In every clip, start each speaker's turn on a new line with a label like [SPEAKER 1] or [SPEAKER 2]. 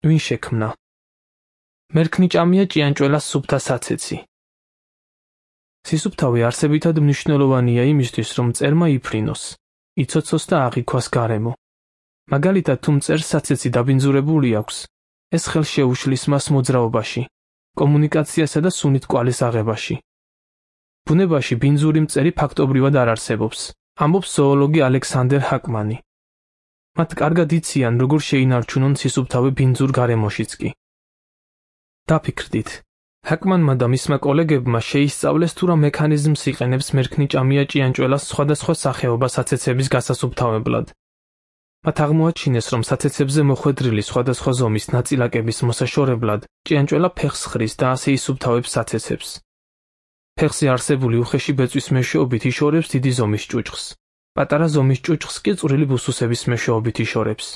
[SPEAKER 1] ვინ შექმნა? მერქნიჭამია ჭიანჭველას სუფთა საცეცი. სისუფთავი არსებითად მნიშვნელოვანია იმისთვის, რომ მწერმა იფრინოს, იცოცოს და აღიქვას გარემო. მაგალითად, თუ მწერს საცეცი დაბინძურებული აქვს, ეს ხელს შეუშლის მას მოძრაობაში, კომუნიკაციასა და სუნით კვალის აღებაში. ბუნებაში ბინძური მწერი ფაქტობრივად არ არსებობს, ამბობს ზოოლოგი ალექსანდერ ჰაკმანი. მათ კარგად იციან, როგორ შეინარჩუნონ სისუფთავი ბინძურ გარემოშიც კი. დაფიქრდით, ჰაკმანმა და მისმა კოლეგებმა შეისწავლეს თუ რა მექანიზმს იყენებს მერქნიჭამია ჭიანჭველას სხვადასხვა სახეობა საცეცების გასასუფთავებლად. მათ აღმოაჩინეს, რომ საცეცებზე მოხვედრილი სხვადასხვა ზომის ნაწილაკების მოსაშორებლად ჭიანჭველა ფეხს ხრის და ასე ისუფთავებს საცეცებს. ფეხზე არსებული უხეში ბეწვის მეშვეობით იშორებს დიდი ზომის ჭუჭხს. პატარა ზომის ჭუჭხს კი წვრილი ბუსუსების მეშვეობით იშორებს.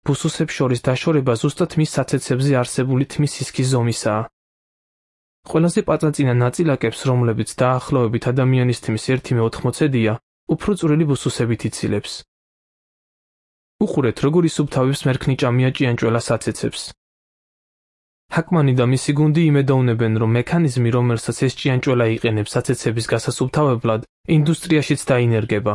[SPEAKER 1] ბუსუსებს შორის დაშორება ზუსტად მის საცეცებზე არსებული თმის სისქის ზომისაა. ყველაზე პაწაწინა ნაწილაკებს, რომლებიც დაახლოებით ადამიანის თმის 1/80-ია, უფრო წვრილი ბუსუსებით იცილებს. უყურეთ, როგორ ისუფთავებს მერქნიჭამია ჭიანჭველა საცეცებს. ჰაკმანი და მისი გუნდი იმედოვნებენ, რომ მექანიზმი, რომელსაც ეს ჭიანჭველა იყენებს საცეცების გასასუფთავებლად, ინდუსტრიაშიც დაინერგება.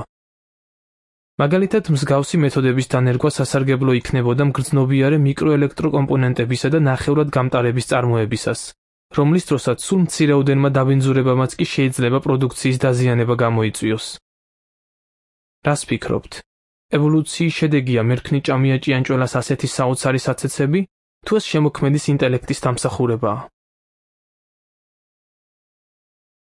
[SPEAKER 1] მაგალითად, მსგავსი მეთოდების დანერგვა სასარგებლო იქნებოდა მგრძნობიარე მიკროელექტროკომპონენტებისა და ნახევრად გამტარების წარმოებისას, რომლის დროსაც სულ მცირეოდენმა დაბინძურებამაც კი შეიძლება პროდუქციის დაზიანება გამოიწვიოს. რას ფიქრობთ? ევოლუციის შედეგია მერქნიჭამია ჭიანჭველას ასეთი საოცარი საცეცები, თუ ეს შემოქმედის ინტელექტის დამსახურებაა?